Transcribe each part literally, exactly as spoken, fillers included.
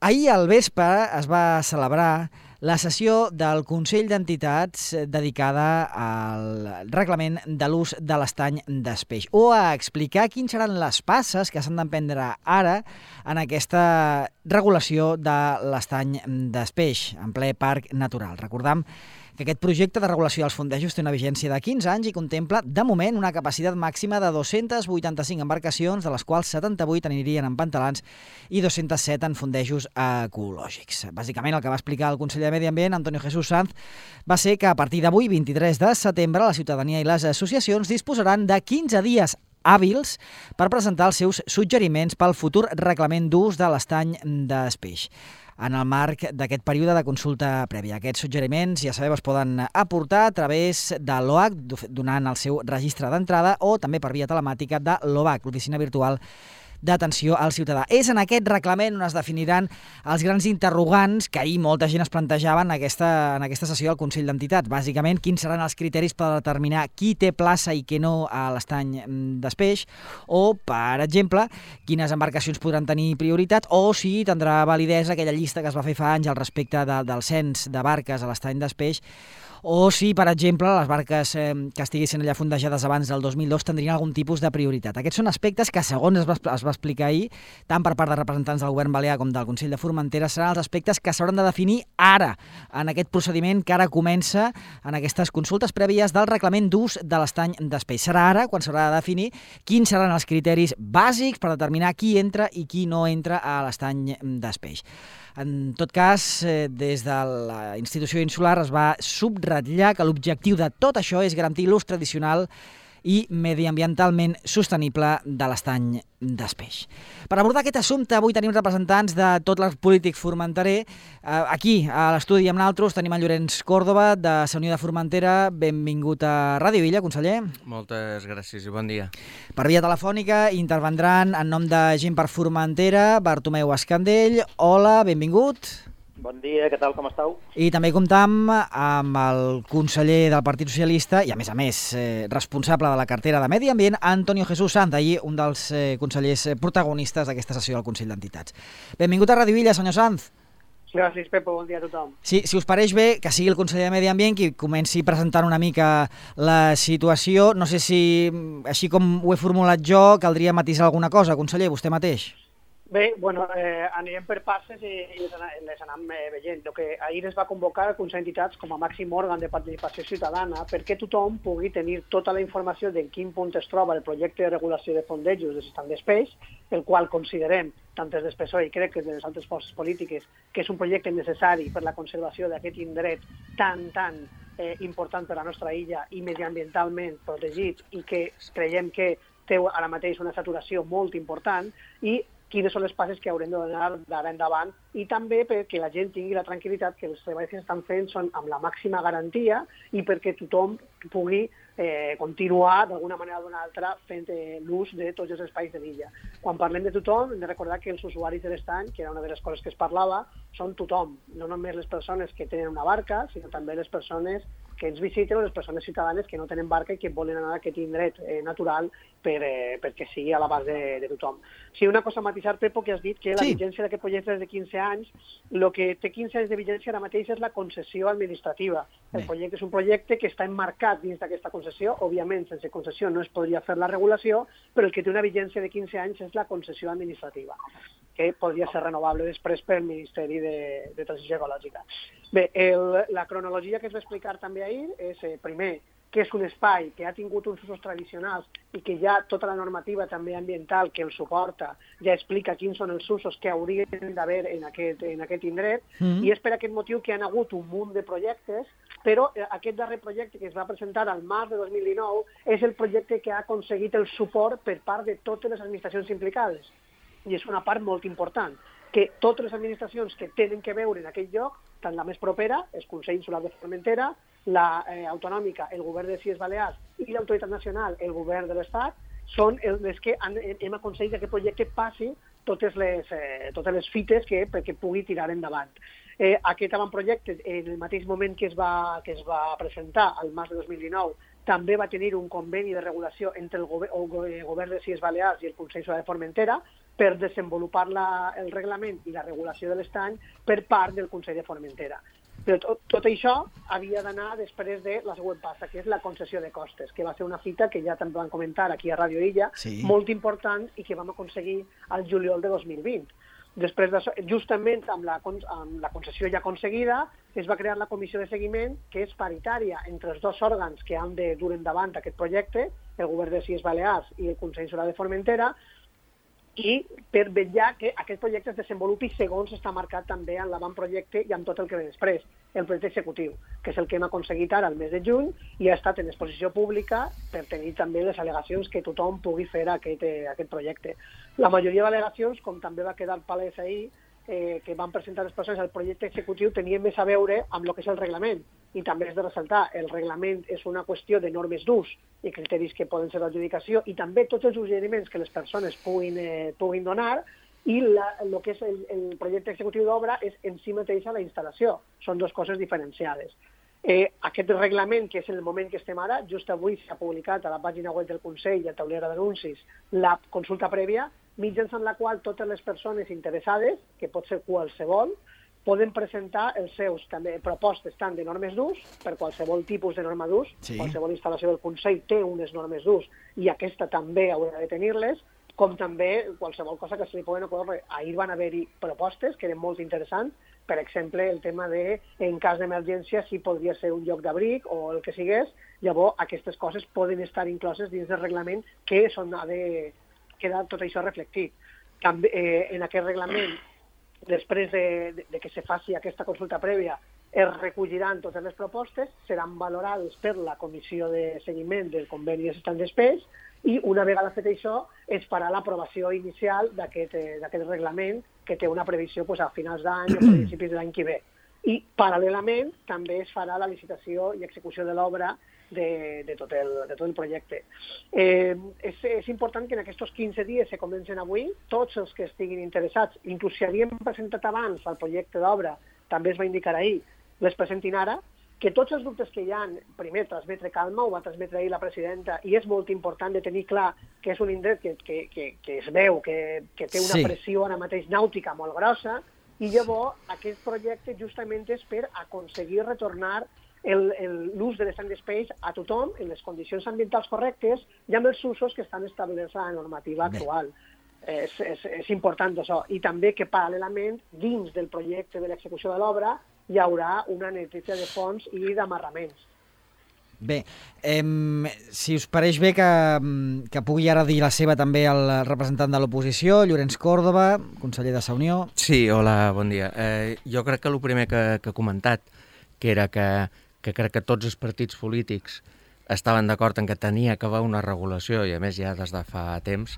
Ahir al vespre es va celebrar la sessió del Consell d'Entitats dedicada al reglament de l'ús de l'estany d'Espeix o a explicar quins seran les passes que s'han d'emprendre ara en aquesta regulació de l'estany d'Espeix en ple parc natural. Recordam que aquest projecte de regulació dels fondejos té una vigència de quinze anys i contempla, de moment, una capacitat màxima de dos-centes vuitanta-cinc embarcacions, de les quals setanta-vuit anirien en pantalans i dos-cents set en fondejos ecològics. Bàsicament, el que va explicar el conseller de Medi Ambient, Antonio Jesús Sanz, va ser que a partir d'avui, vint-i-tres de setembre, la ciutadania i les associacions disposaran de quinze dies hàbils per presentar els seus suggeriments pel futur reglament d'ús de l'estany d'Espeix en el marc d'aquest període de consulta prèvia. Aquests suggeriments, ja sabeu, es poden aportar a través de l'O A C, donant el seu registre d'entrada, o també per via telemàtica de l'O V A C, l'Oficina Virtual d'Atenció al Ciutadà. És en aquest reglament on es definiran els grans interrogants que ahir molta gent es plantejava en aquesta, en aquesta sessió del Consell d'Entitats. Bàsicament, quins seran els criteris per determinar qui té plaça i qui no a l'estany d'Espeix, o, per exemple, quines embarcacions podran tenir prioritat, o si tindrà validesa aquella llista que es va fer fa anys al respecte de, del cens de barques a l'estany d'Espeix, o si, per exemple, les barques eh, que estiguessin allà fondejades abans del dos mil dos tindrien algun tipus de prioritat. Aquests són aspectes que, segons es va, es va explicar ahir, tant per part de representants del govern balear com del Consell de Formentera, seran els aspectes que s'hauran de definir ara, en aquest procediment que ara comença en aquestes consultes prèvies del reglament d'ús de l'estany d'Espeix. Serà ara quan s'haurà de definir quins seran els criteris bàsics per determinar qui entra i qui no entra a l'estany d'Espeix. En tot cas, des de la institució insular es va subratllar que l'objectiu de tot això és garantir l'ús tradicional i mediambientalment sostenible de l'estany d'Espeix. Per abordar aquest assumpte, avui tenim representants de tot el polític formenterer. Aquí, a l'estudi amb nosaltres, tenim en Llorenç Còrdova, de la Unió de Formentera. Benvingut a Ràdio Illa, conseller. Moltes gràcies i bon dia. Per via telefònica intervendran en nom de Gent per Formentera, Bartomeu Escandell. Hola, benvingut. Bon dia, què tal, com esteu? I també comptam amb el conseller del Partit Socialista i, a més a més, eh, responsable de la cartera de Medi Ambient, Antonio Jesús Sanz, ahir un dels eh, consellers protagonistes d'aquesta sessió del Consell d'Entitats. Benvingut a Ràdio Illa, senyor Sanz. Gràcies, Pepo, bon dia a tothom. Sí, si us pareix bé, que sigui el conseller de Medi Ambient qui comenci presentant una mica la situació. No sé si, així com ho he formulat jo, caldria matisar alguna cosa, conseller, vostè mateix. Bé, bueno, eh, anirem per passes i, i les, les anem eh, veient. El que ahir es va convocar el Consell d'Entitats com a màxim òrgan de participació ciutadana perquè tothom pugui tenir tota la informació de en quin punt es troba el projecte de regulació de fondejos de l'estany d'Espeix, el qual considerem, tant des del P S O E i crec que des de les altres forces polítiques, que és un projecte necessari per la conservació d'aquest indret tan, tan eh, important per a la nostra illa i mediambientalment protegit i que creiem que té ara mateix una saturació molt important, i quines són les passes que haurem de donar d'ara endavant, i també perquè la gent tingui la tranquil·litat que els treballs que s'estan fent són amb la màxima garantia i perquè tothom pugui eh, continuar d'alguna manera o d'una altra fent eh, l'ús de tots els espais de l'illa. Quan parlem de tothom, hem de recordar que els usuaris de l'estany, que era una de les coses que es parlava, són tothom, no només les persones que tenen una barca, sinó també les persones que ens visiten o les persones ciutadanes que no tenen barca i que volen anar a aquest indret eh, natural per, eh, perquè sigui a l'abast de, de tothom. Sí, una cosa a matisar, Pepo, que has dit que la sí. vigència d'aquest projecte és de quinze anys. El que té quinze anys de vigència ara mateix és la concessió administrativa. El Bé. projecte és un projecte que està emmarcat dins d'aquesta concessió. Òbviament, sense concessió no es podria fer la regulació, però el que té una vigència de quinze anys és la concessió administrativa, que podria ser renovable després pel Ministeri de, de Transició Ecològica. Bé, el, la cronologia que es va explicar també ahir és, eh, primer, que és un espai que ha tingut uns usos tradicionals i que ja tota la normativa també ambiental que el suporta ja explica quins són els usos que haurien d'haver en aquest, en aquest indret, mm. i és per aquest motiu que han hagut un munt de projectes, però aquest darrer projecte que es va presentar al març de dos mil dinou és el projecte que ha aconseguit el suport per part de totes les administracions implicades. I és una part molt important, que totes les administracions que tenen que veure en aquest lloc, tant la més propera, el Consell Insular de Formentera, la eh, autonòmica, el govern de les Illes Balears i l'autoritat nacional, el govern de l'Estat, són les que han, hem aconseguit que aquest projecte passi totes les, eh, totes les fites que, perquè pugui tirar endavant. Eh, aquest avantprojecte, en el mateix moment que es va, que es va presentar al març de dos mil dinou, també va tenir un conveni de regulació entre el, gover el govern de les Illes Balears i el Consell Insular de Formentera, per desenvolupar la, el reglament i la regulació de l'estany per part del Consell de Formentera. Però tot, tot això havia d'anar després de la següent passa, que és la concessió de costes, que va ser una fita que ja també vam comentar aquí a Ràdio Illa, sí. molt important i que vam aconseguir al juliol de dos mil vint. Després d'això, justament amb la, amb la concessió ja aconseguida, es va crear la comissió de seguiment, que és paritària entre els dos òrgans que han de dur endavant aquest projecte, el Govern de les Illes Balears i el Consell Insular de Formentera, i per vetllar que aquest projecte es desenvolupi segons està marcat també en l'avantprojecte i amb tot el que ve després, el projecte executiu, que és el que hem aconseguit ara el mes de juny i ha estat en exposició pública per tenir també les al·legacions que tothom pugui fer a aquest, a aquest projecte. La majoria d'al·legacions, com també va quedar palès ahir, eh, que van presentar les persones al projecte executiu, tenien més a veure amb el que és el reglament. I també és de ressaltar, el reglament és una qüestió de normes d'ús i criteris que poden ser d'adjudicació i també tots els suggeriments que les persones puguin, eh, puguin donar, i la, el que és el, el projecte executiu d'obra és en si mateixa la instal·lació. Són dues coses diferenciades. Eh, aquest reglament, que és en el moment que estem ara, just avui s'ha publicat a la pàgina web del Consell i a taulera d'anuncis la consulta prèvia, mitjançant la qual totes les persones interessades, que pot ser qualsevol, poden presentar els seus també propostes tant de normes d'ús, per qualsevol tipus de norma d'ús, sí. Qualsevol instal·lació del Consell té unes normes d'ús i aquesta també haurà de tenir-les, com també qualsevol cosa que se li poden ocórrer. Ahir van haver-hi propostes que eren molt interessants, per exemple, el tema de, en cas d'emergència, si podria ser un lloc d'abric o el que sigués, llavors aquestes coses poden estar incloses dins del reglament que són, ha de quedar tot això reflectit. També, eh, en aquest reglament, després de, de, de que se faci aquesta consulta prèvia, es recolliran totes les propostes, seran valorades per la comissió de seguiment del conveni de Stand Space i una vegada fet això es farà l'aprovació inicial d'aquest eh, reglament que té una previsió pues, a finals d'any o a principis de l'any que ve. I paral·lelament també es farà la licitació i execució de l'obra de, de, tot el, de tot el projecte. Eh, és, és important que en aquests quinze dies que comencen avui, tots els que estiguin interessats, inclús si havien presentat abans el projecte d'obra, també es va indicar ahir, les presentin ara, que tots els dubtes que hi ha, primer, transmetre calma, ho va transmetre ahir la presidenta, i és molt important de tenir clar que és un indret que, que, que, que es veu, que, que té una sí. pressió ara mateix nàutica molt grossa, i llavors aquest projecte justament és per aconseguir retornar l'ús de l'Stand Space a tothom en les condicions ambientals correctes i amb els usos que estan establerts a la normativa actual. És, és, és important això. I també que paral·lelament, dins del projecte de l'execució de l'obra, hi haurà una neteja de fons i d'amarraments. Bé, eh, si us pareix bé que, que pugui ara dir la seva també el representant de l'oposició, Llorenç Còrdova, conseller de Sa Unió. Sí, hola, bon dia. Eh, jo crec que el primer que, que he comentat, que era que, que crec que tots els partits polítics estaven d'acord en que tenia que haver una regulació, i a més ja des de fa temps,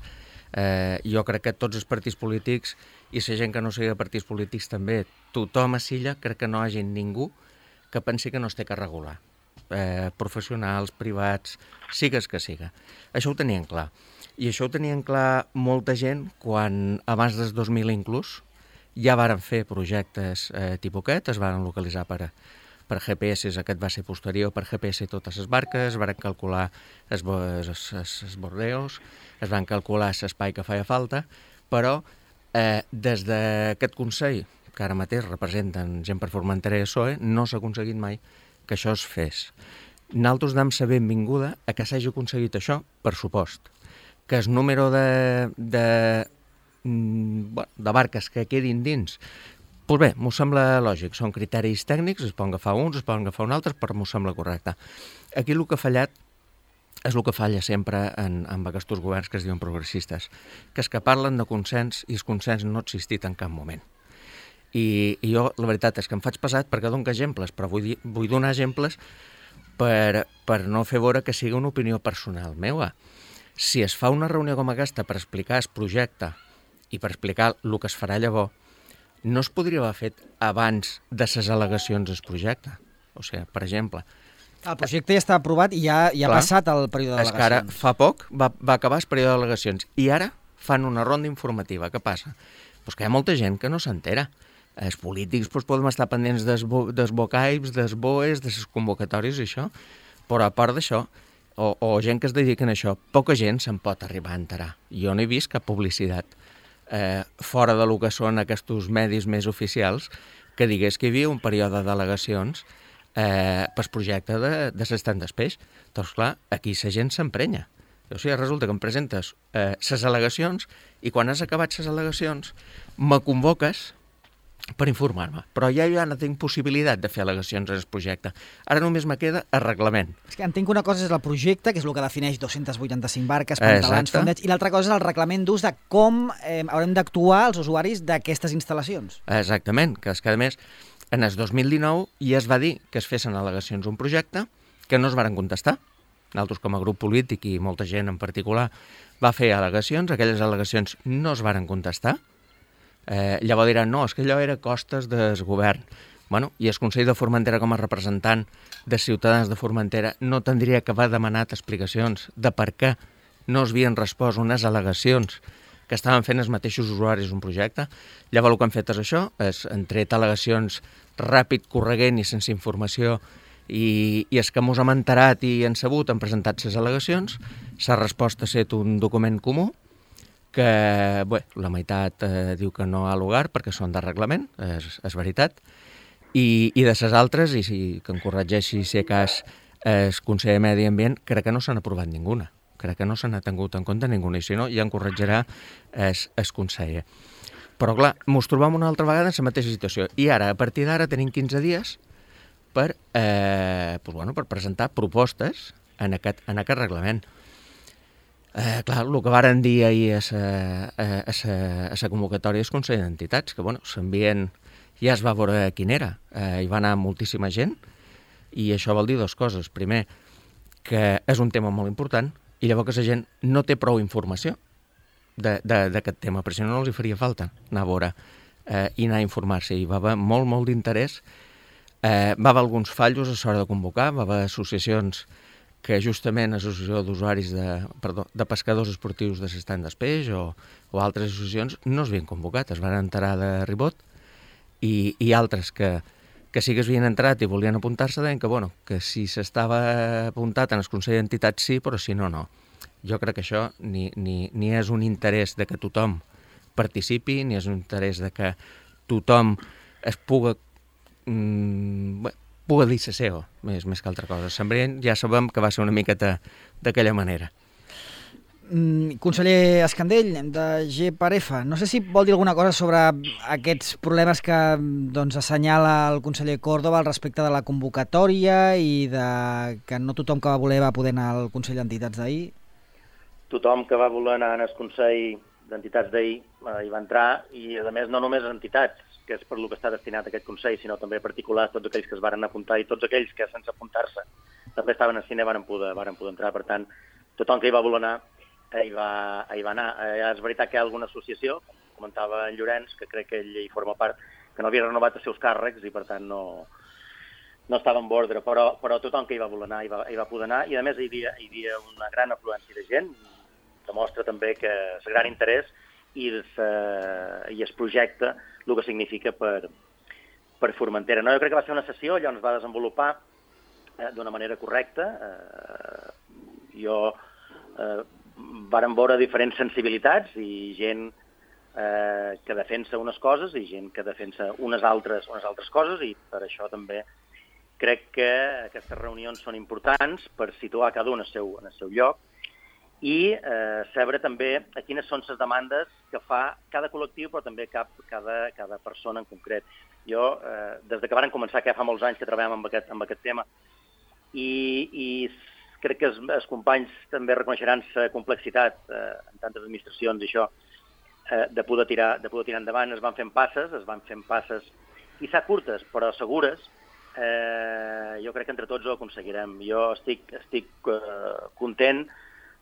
eh, jo crec que tots els partits polítics, i la gent que no sigui de partits polítics també, tothom a Silla, crec que no hi hagi ningú que pensi que no es té que regular. Eh, professionals, privats, sigues que siga. Això ho tenien clar. I això ho tenien clar molta gent quan, abans del dos mil inclús, ja varen fer projectes eh, tipus aquest, es varen localitzar per, per G P S, aquest va ser posterior, per G P S totes les barques, es varen calcular els, els, els bordeus, es van calcular l'espai que feia falta, però eh, des d'aquest Consell, que ara mateix representen gent per Formentera i S O E, no s'ha aconseguit mai que això es fes. Nosaltres dam la benvinguda a que s'hagi aconseguit això, per supost. Que el número de, de, de barques que quedin dins, doncs bé, m'ho sembla lògic. Són criteris tècnics, es poden agafar uns, es poden agafar un altres, però m'ho sembla correcte. Aquí el que ha fallat és el que falla sempre en, en aquests governs que es diuen progressistes, que és que parlen de consens i el consens no ha existit en cap moment. I, i jo, la veritat és que em faig pesat perquè dono exemples, però vull, dir, vull donar exemples per, per no fer veure que sigui una opinió personal meva. Si es fa una reunió com aquesta per explicar el projecte i per explicar el que es farà llavors, no es podria haver fet abans de les al·legacions del projecte. O sigui, per exemple... El projecte ja està aprovat i ja, ja ha passat el període d'al·legacions. És que ara, fa poc, va, va acabar el període d'al·legacions i ara fan una ronda informativa. Què passa? Pues que hi ha molta gent que no s'entera. Els polítics doncs, podem estar pendents dels, bo, dels bocaips, dels boes, de les convocatòries i això, però a part d'això, o, o gent que es dediquen a això, poca gent se'n pot arribar a enterar. Jo no he vist cap publicitat eh, fora de lo que són aquests medis més oficials, que digués que hi havia un període d'al·legacions eh, pel projecte de, de l'estand d'Espeix. Doncs clar, aquí la gent s'emprenya. O sigui, resulta que em presentes les eh, al·legacions i quan has acabat les al·legacions me convoques per informar-me. Però ja ja no tinc possibilitat de fer al·legacions en el projecte. Ara només me queda el reglament. És que entenc que una cosa és el projecte, que és el que defineix dos-cents vuitanta-cinc barques, pantalans, fondets, i l'altra cosa és el reglament d'ús de com eh, haurem d'actuar els usuaris d'aquestes instal·lacions. Exactament, que és que a més en el dos mil dinou ja es va dir que es fessin al·legacions a un projecte que no es varen contestar. Nosaltres com a grup polític i molta gent en particular va fer al·legacions, aquelles al·legacions no es varen contestar. Eh, llavors diran, no, és que allò era costes del govern. Bueno, i el Consell de Formentera com a representant de ciutadans de Formentera no tindria que haver demanat explicacions de per què no es havien respost unes al·legacions que estaven fent els mateixos usuaris d'un projecte. Llavors el que han fet és això, és han tret al·legacions ràpid, corregent i sense informació, i, i és que mos hem enterat i hem sabut, han presentat les al·legacions, s'ha respost a ser un document comú, que bé, la meitat eh, diu que no ha lugar perquè són de reglament, és, és veritat, i, i de les altres, i si, que em corregeixi si a cas el Consell de Medi Ambient, crec que no s'han aprovat ninguna, crec que no se n'ha tingut en compte ninguna, i si no ja en corregirà el, el conseller. Però clar, mos trobam una altra vegada en la mateixa situació, i ara, a partir d'ara, tenim quinze dies per, eh, pues, bueno, per presentar propostes en aquest, en aquest reglament. Eh, clar, el que varen dir ahir a la convocatòria del Consell d'Entitats, que bueno, s'envien, ja es va veure quin era, eh, hi va anar moltíssima gent, i això vol dir dues coses. Primer, que és un tema molt important, i llavors que la gent no té prou informació d'aquest tema, perquè si no, no els hi faria falta anar a veure eh, i anar a informar-se. I va haver molt, molt d'interès. Eh, va haver alguns fallos a l'hora de convocar, va haver associacions que justament l'associació d'usuaris de, perdó, de pescadors esportius de l'estand d'Espeix o, o altres associacions no es havien convocat, es van enterar de ribot, i, i altres que, que sí que es havien entrat i volien apuntar-se deien que, bueno, que si s'estava apuntat en el Consell d'Entitats sí, però si no, no. Jo crec que això ni, ni, ni és un interès de que tothom participi, ni és un interès de que tothom es puga... Mm, bé, puga dir la seva, més, més que altra cosa. Sembrient ja sabem que va ser una miqueta d'aquella manera. Mm, conseller Escandell, de G per F, no sé si vol dir alguna cosa sobre aquests problemes que doncs, assenyala el conseller Córdoba al respecte de la convocatòria i de que no tothom que va voler va poder anar al Consell d'Entitats d'ahir. Tothom que va voler anar al Consell d'Entitats d'ahir eh, hi va entrar, i a més no només entitats, que és per lo que està destinat aquest Consell, sinó també particulars, tots aquells que es varen apuntar i tots aquells que sense apuntar-se també estaven al cine varen poder, varen poder entrar. Per tant, tothom que hi va voler anar eh, hi, va, hi va anar. Eh, és veritat que hi ha alguna associació, com comentava en Llorenç, que crec que ell hi forma part, que no havia renovat els seus càrrecs i per tant no, no estava en ordre, però, però tothom que hi va voler anar hi va, hi va poder anar, i a més hi havia, hi havia una gran afluència de gent, demostra també que és gran interès i el, i el projecte el que significa per, per Formentera. No, jo crec que va ser una sessió, allò es va desenvolupar eh, d'una manera correcta. Eh, jo eh, vàrem veure diferents sensibilitats i gent eh, que defensa unes coses i gent que defensa unes altres, unes altres coses, i per això també crec que aquestes reunions són importants per situar cada un al seu, en el seu lloc i eh, saber també a quines són les demandes que fa cada col·lectiu, però també cap, cada, cada persona en concret. Jo, eh, des de que varen començar, que ja fa molts anys que treballem amb aquest, amb aquest tema, i, i crec que els, els companys també reconeixeran la complexitat eh, en tantes administracions i això, eh, de, poder tirar, de poder tirar endavant. Es van fent passes, es van fent passes, quizà curtes, però segures. Eh, jo crec que entre tots ho aconseguirem. Jo estic, estic eh, content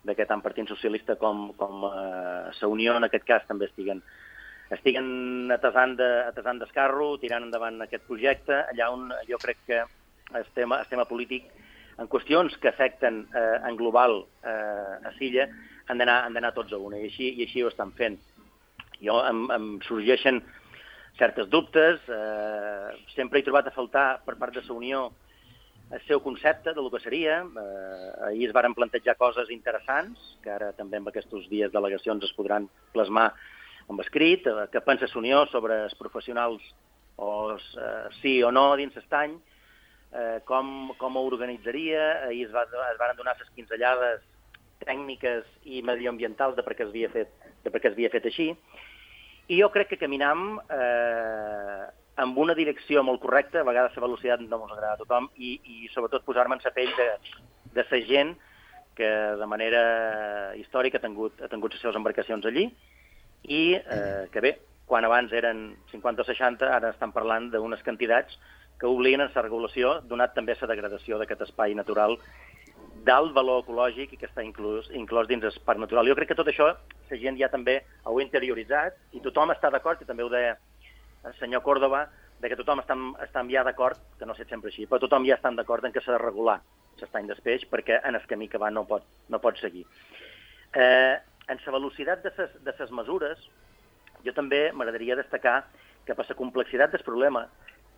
de que tant Partit Socialista com, com eh, la Unió, en aquest cas, també estiguen, estiguen atesant d'escarro, tirant endavant aquest projecte, allà on jo crec que el tema, el tema polític, en qüestions que afecten eh, en global eh, a Silla, han d'anar tots a una, i així, i així ho estan fent. Jo em, em sorgeixen certes dubtes, eh, sempre he trobat a faltar per part de la Unió el seu concepte de lo que seria. Eh, ahir es varen plantejar coses interessants, que ara també amb aquests dies d'al·legacions es podran plasmar amb escrit, eh, què pensa l'Unió sobre els professionals o els, eh, sí o no dins l'estany, eh, com, com ho organitzaria, ahir es, va, es van donar les pinzellades tècniques i medioambientals de per què es havia fet, de per què es havia fet així, i jo crec que caminam eh, amb una direcció molt correcta, a vegades la velocitat no ens agrada a tothom, i, i sobretot posar-me en la pell de, de la gent que de manera històrica ha tingut, ha tingut les seves embarcacions allí, i eh, que bé, quan abans eren cinquanta o seixanta, ara estan parlant d'unes quantitats que obliguen a la regulació, donat també la degradació d'aquest espai natural d'alt valor ecològic i que està inclús, inclòs dins el parc natural. Jo crec que tot això la gent ja també ho ha interioritzat i tothom està d'acord, i també ho deia el senyor Córdoba, de que tothom està, està ja d'acord, que no sé sempre així, però tothom ja està d'acord en que s'ha de regular l'estany del peix perquè en el camí que va no pot, no pot seguir. Eh, en la velocitat de ses, de ses mesures, jo també m'agradaria destacar que per la complexitat del problema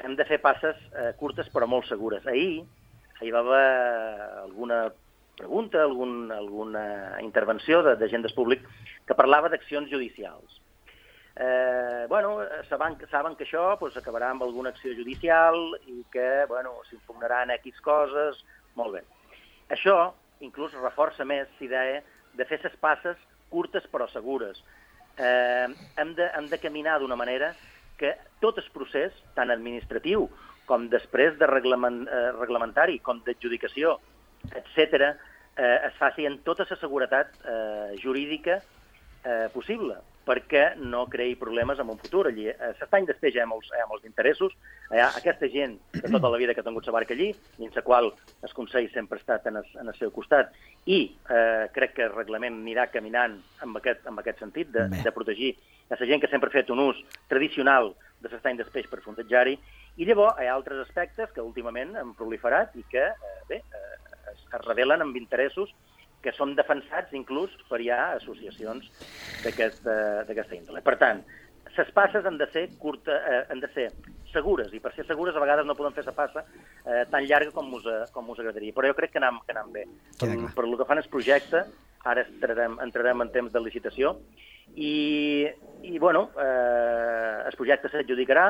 hem de fer passes eh, curtes però molt segures. Ahir, ahir va haver alguna pregunta, algun, alguna intervenció de, de gent del públic que parlava d'accions judicials. Eh, bueno, saben, saben que això pues, acabarà amb alguna acció judicial i que bueno, s'impugnaran X coses, molt bé. Això inclús reforça més l'idea de fer les passes curtes però segures. Eh, hem, de, hem de caminar d'una manera que tot el procés, tant administratiu com després de reglament, eh, reglamentari, com d'adjudicació, etcètera, eh, es faci amb tota la seguretat eh, jurídica eh, possible, perquè no creï problemes en un futur. Allí, a l'estany del peix hi ha molts, hi ha molts interessos, hi ha aquesta gent de tota la vida que ha tingut la barca allí, dins la qual el Consell sempre ha estat en el, en el seu costat, i eh, crec que el reglament anirà caminant en aquest, en aquest sentit, de, de protegir a la gent que sempre ha fet un ús tradicional de l'estany del peix per fondejar-hi, i llavors hi ha altres aspectes que últimament han proliferat i que eh, bé, eh, es, es revelen amb interessos que són defensats inclús per ja associacions d'aquesta índole. Per tant, les passes han de ser curta, eh, han de ser segures, i per ser segures a vegades no podem fer la passa eh, tan llarga com us, com us agradaria, però jo crec que anem, que anem bé. Per, per el que fan el projecte, ara entrarem, entrarem en temps de licitació, i, i bueno, eh, el projecte s'adjudicarà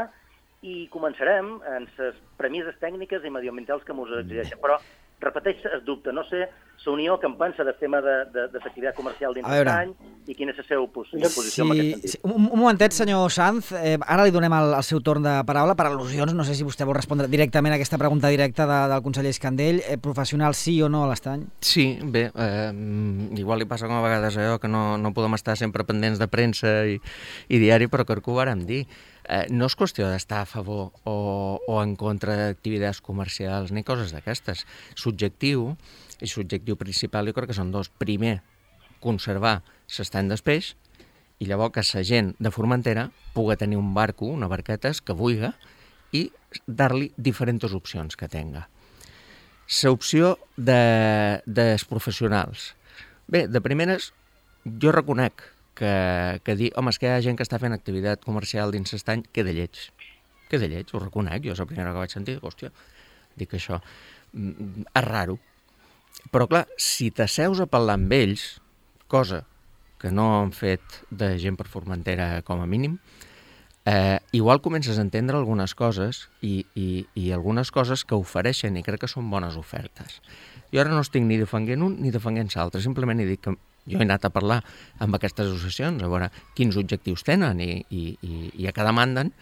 i començarem en les premisses tècniques i mediambientals que ens exigeixen, però repeteix el dubte. No sé la Unió que en pensa del tema de, de, de l'activitat comercial dins l'estany i quina és la seva posició sí, en aquest sentit. Sí, un, un momentet, senyor Sanz, eh, ara li donem el, el seu torn de paraula per al·lusions. No sé si vostè vol respondre directament a aquesta pregunta directa de, del conseller Escandell. Eh, professional sí o no a l'estany? Sí, bé, eh, igual li passa com a vegades allò que no, no podem estar sempre pendents de premsa i, i diari, però crec que ho vàrem dir. Eh, no és qüestió d'estar a favor o, o en contra d'activitats comercials ni coses d'aquestes. Subjectiu, i subjectiu principal jo crec que són dos. Primer, conservar l'estany del peix, i llavors que la gent de Formentera pugui tenir un barco, una barquetes que vulgui, i dar-li diferents opcions que tenga. L'opció de, dels professionals. Bé, de primeres, jo reconec que, que dir, home, és que hi ha gent que està fent activitat comercial dins l'estany, que de lleig. Que de lleig, ho reconec, jo és la primera que vaig sentir, hòstia, dic això, és raro. Però clar, si t'asseus a parlar amb ells, cosa que no han fet de gent per Formentera com a mínim, eh, igual comences a entendre algunes coses i, i, i algunes coses que ofereixen i crec que són bones ofertes. Jo ara no estic ni defenguent un ni defenguent l'altre, simplement he dit que jo he anat a parlar amb aquestes associacions a veure quins objectius tenen i, i, i, i a què demanden,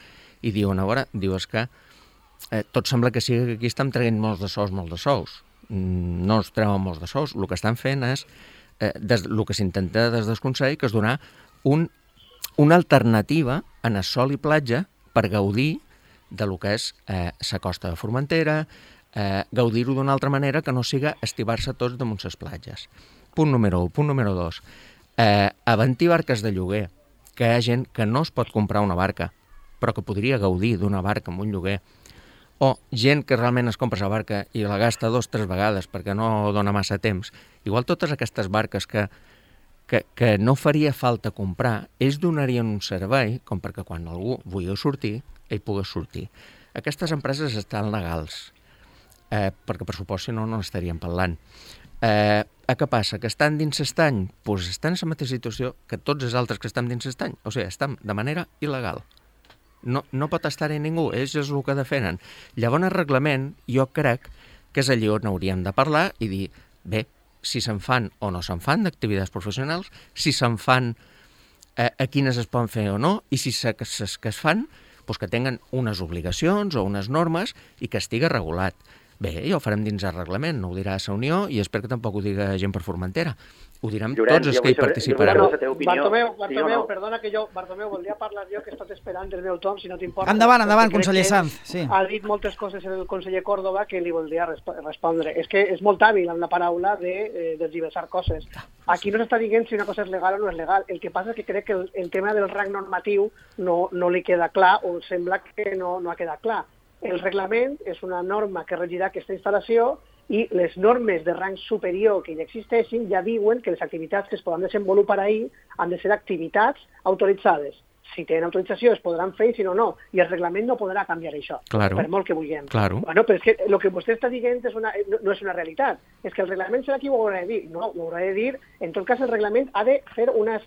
i diuen, a veure, diu, és que eh, tot sembla que sigui que aquí estan traient molts de sous, molts de sous. No es treuen molts de sous. El que estan fent és, eh, des, el que s'intenta des del Consell, que és donar un, una alternativa en el sol i platja per gaudir de lo que és eh, la costa de Formentera, eh, gaudir-ho d'una altra manera que no siga estivar-se tots damunt les platges. Punt número un. Punt número dos. Eh, avanti barques de lloguer, que hi ha gent que no es pot comprar una barca, però que podria gaudir d'una barca amb un lloguer, o gent que realment es compra la barca i la gasta dos o tres vegades perquè no dona massa temps. Igual totes aquestes barques que, que, que no faria falta comprar, ells donarien un servei com perquè quan algú vulgui sortir, ell pugui sortir. Aquestes empreses estan legals, eh, perquè per supost si no, no estaríem parlant. Eh, A què passa? Que estan dins l'estany? Doncs estan en la mateixa situació que tots els altres que estan dins l'estany. O sigui, estan de manera il·legal. No, no pot estar-hi ningú, ells és el que defenen. Llavors, el reglament, jo crec que és allí on hauríem de parlar i dir, bé, si se'n fan o no se'n fan d'activitats professionals, si se'n fan eh, a quines es poden fer o no, i si se, ses que es fan, doncs que tenen unes obligacions o unes normes i que estigui regulat. Bé, ja ho farem dins el reglament, no ho dirà la Unió i espero que tampoc ho diga gent per Formentera. Ho direm Llorenç, tots els que hi participarem. Bartomeu, Bartomeu, sí, perdona que jo, Bartomeu, voldria parlar jo que he estat esperant el meu torn, si no t'importa. Endavant, endavant, conseller Sanz. Sí. Ha dit moltes coses el conseller Córdoba que li voldria resp respondre. És que és molt hàbil amb la paraula de eh, desdiversar coses. Aquí no s'està dient si una cosa és legal o no és legal. El que passa és que crec que el, el tema del rang normatiu no, no li queda clar o sembla que no, no ha quedat clar. El reglament és una norma que regirà aquesta instal·lació i les normes de rang superior que ja existeixin ja diuen que les activitats que es poden desenvolupar ahí han de ser activitats autoritzades. Si tenen autorització es podran fer i si no, no. I el reglament no podrà canviar això, claro. Per molt que vulguem. Claro. Bueno, però és que el que vostè està dient és una, no, no és una realitat. És que el reglament serà qui ho haurà de dir. No, ho haurà de dir, en tot cas el reglament ha de fer unes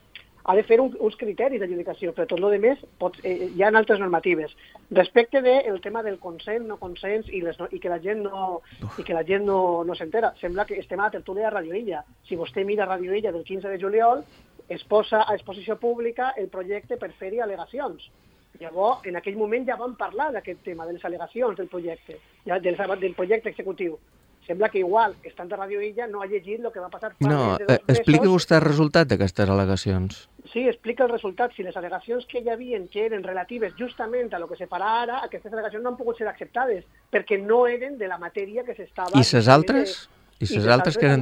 ha de fer un, uns criteris d'adjudicació, però tot el que més pot, eh, hi ha altres normatives. Respecte del de tema del consens, no consens, i, les, i que la gent no, i que la gent no, no s'entera. Sembla que estem a la tertúlia de Radio Illa. Si vostè mira Radio Illa del quinze de juliol, es posa a exposició pública el projecte per fer-hi al·legacions. Llavors, en aquell moment ja vam parlar d'aquest tema, de les al·legacions del projecte, ja, del, del projecte executiu. Sembla que igual, estant de Radio Illa, no ha llegit el que va passar fa no, més de dos mesos. Expliqui vostè el resultat d'aquestes al·legacions. Sí, explica el resultat. Si les al·legacions que hi havia que eren relatives justament a lo que se farà ara, aquestes al·legacions no han pogut ser acceptades, perquè no eren de la matèria que s'estava... I les altres? I les altres que eren...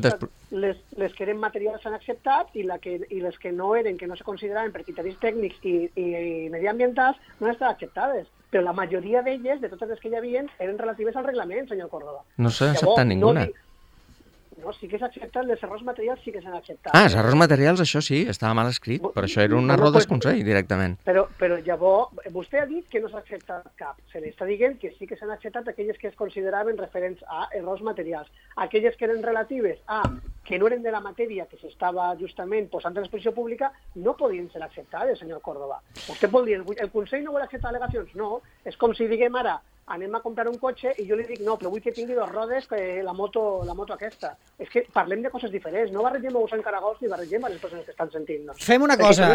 Les, les que eren materials s'han acceptat i, la que, i les que no eren, que no se consideraven per criteris tècnics i, i, i mediambientals, no han estat acceptades. Però la majoria d'elles, de totes les que hi havia, eren relatives al reglament, senyor Córdoba. No s'ha acceptat ninguna. No, no, sí que s'ha acceptat, les errors materials sí que s'han acceptat. Ah, els errors materials, això sí, estava mal escrit, però això era un error del Consell, directament. Però, però llavors, vostè ha dit que no s'ha acceptat cap. Se li està dient que sí que s'han acceptat aquelles que es consideraven referents a errors materials. Aquelles que eren relatives a que no eren de la matèria que s'estava justament posant a l'exposició pública, no podien ser acceptades, senyor Córdoba. Vostè pot dir, el Consell no vol acceptar al·legacions? No, és com si diguem ara, anem a comprar un cotxe i jo li dic, no, però vull que tingui dos rodes que la moto, la moto aquesta. És que parlem de coses diferents, no barregem ous en caragols ni barregem a les persones que estan sentint-nos. Fem una cosa,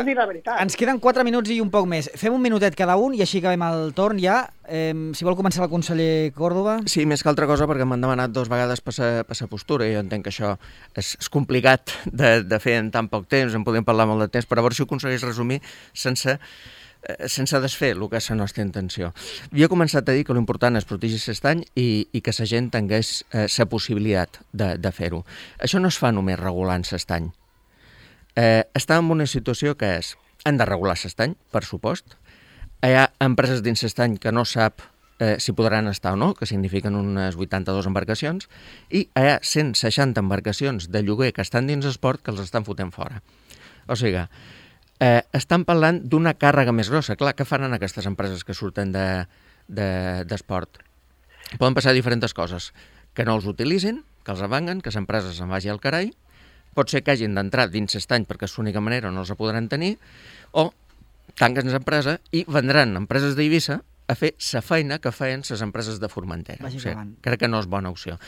ens queden quatre minuts i un poc més. Fem un minutet cada un i així acabem el torn ja. Eh, si vol començar el conseller Córdoba. Sí, més que altra cosa perquè m'han demanat dos vegades per sa postura i jo entenc que això és, és complicat de, de fer en tan poc temps, en podem parlar molt de temps, però a veure si ho aconsegueix resumir sense... sense desfer el que és la nostra intenció. Jo he començat a dir que l'important és protegir l'estany i, i que la gent tingués la eh, possibilitat de, de fer-ho. Això no es fa només regulant l'estany. Eh, estem en una situació que és, han de regular l'estany, per supost. Hi ha empreses dins l'estany que no sap eh, si podran estar o no, que signifiquen unes vuitanta-dues embarcacions, i hi ha cent seixanta embarcacions de lloguer que estan dins l'esport que els estan fotent fora. O sigui, Eh, estan parlant d'una càrrega més grossa. Clar, què faran aquestes empreses que surten d'esport? De, de, Poden passar diferents coses. Que no els utilitzin, que els avanguen, que les empreses se'n vagi al carai, pot ser que hagin d'entrar dins l'estany perquè és l'única manera on no els podran tenir, o tanquen l'empresa i vendran empreses d'Eivissa a fer la feina que feien les empreses de Formentera. O sigui, crec que no és bona opció.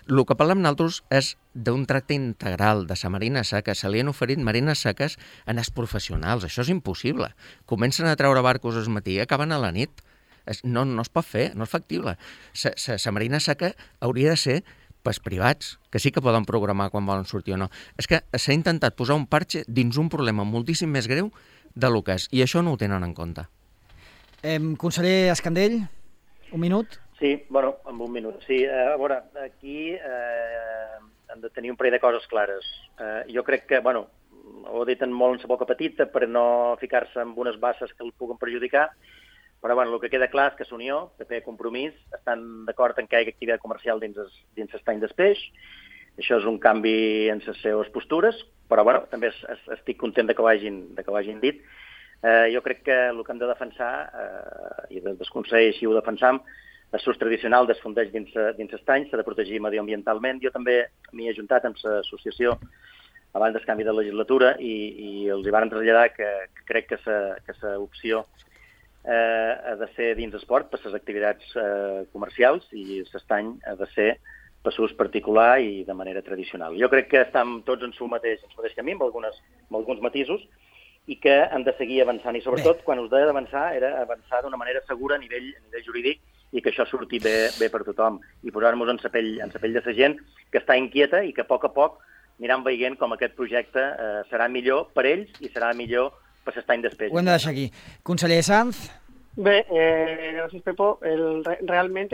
El que parlem nosaltres és d'un tracte integral de la marina seca. Se li han oferit marines seques a els professionals. Això és impossible. Comencen a treure barcos al matí i acaben a la nit. No, no es pot fer, no és factible. La marina seca hauria de ser pels privats, que sí que poden programar quan volen sortir o no. És que s'ha intentat posar un parxe dins un problema moltíssim més greu de lo que és, i això no ho tenen en compte. Eh, conseller Escandell, un minut? Sí, bueno, amb un minut. Sí, eh, a veure, aquí eh, hem de tenir un parell de coses clares. Eh, jo crec que, bueno, ho he dit en molt en sa boca petita per no ficar-se en unes basses que el puguen perjudicar, però bueno, el que queda clar és que l'Unió, P P, Compromís, estan d'acord en que hi hagi activitat comercial dins l'estany d'Espeix. Això és un canvi en les seves postures, però bueno, també estic content de que ho hagin, de que ho hagin dit. Eh, jo crec que el que hem de defensar, eh, i des del Consell així ho defensam, l'ús tradicional es fondeix dins dins l'estany, s'ha de protegir medioambientalment. Jo també m'hi he ajuntat amb l'associació abans del canvi de legislatura i, i els hi van traslladar que, que crec que la opció eh, ha de ser dins esport per les activitats eh, comercials i l'estany ha de ser per l'ús particular i de manera tradicional. Jo crec que estem tots en su mateix, en su mateix camí, amb, algunes, amb alguns matisos, i que hem de seguir avançant. I sobretot, Bé. quan us deia d'avançar, era avançar d'una manera segura a nivell, a nivell jurídic i que això surti bé, bé per tothom. I posar-nos en la pell, en la pell de la gent que està inquieta i que a poc a poc aniran veient com aquest projecte eh, serà millor per ells i serà millor per l'estany d'Espeix. Ho hem de deixar aquí. Conseller Sanz? Bé, eh, gràcies, Pepo. El, realment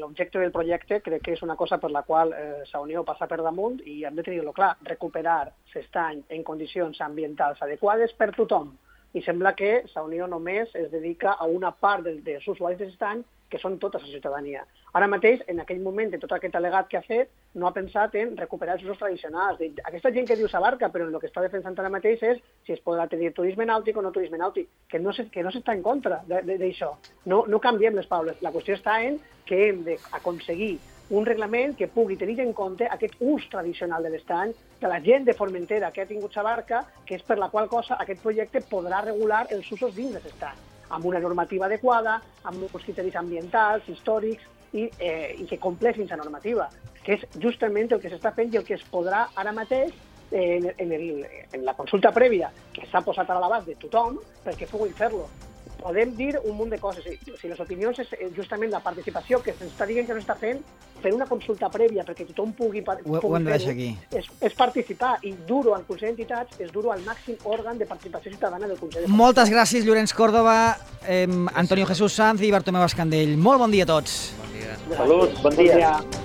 l'objecte del projecte crec que és una cosa per la qual eh, la Unió passa per damunt i hem de tenir-lo clar, recuperar l'estany en condicions ambientals adequades per tothom. I sembla que la Unió només es dedica a una part dels, dels usuaris de l'estany, que són tota la ciutadania. Ara mateix, en aquell moment de tot aquest al·legat que ha fet, no ha pensat en recuperar els usos tradicionals. Aquesta gent que diu s'abarca, però el que està defensant ara mateix és si es podrà tenir turisme nàutic o no turisme nàutic, que no, se, que no s'està en contra d'això. No, no canviem les paraules. La qüestió està en que hem d'aconseguir un reglament que pugui tenir en compte aquest ús tradicional de l'estany, de la gent de Formentera que ha tingut s'abarca, que és per la qual cosa aquest projecte podrà regular els usos dins de l'estany, amb una normativa adequada, amb uns criteris ambientals, històrics, i, eh, i que compleixin la normativa, que és justament el que s'està fent i el que es podrà ara mateix eh, en, en, el, en la consulta prèvia que s'ha posat a l'abast de tothom perquè puguin fer-lo. Podem dir un munt de coses. Si les opinions és justament la participació que s'està dient que no està fent, fer una consulta prèvia perquè tothom pugui, pugui ho hem de deixar fer-ho, aquí. És, és participar. I dur-ho al Consell d'Entitats és dur-ho al màxim òrgan de participació ciutadana del Consell. Moltes gràcies, Llorenç Córdoba, eh, Antonio Jesús Sanz i Bartomeu Escandell. Molt bon dia a tots. Bon dia. Salut, bon dia. Bon dia.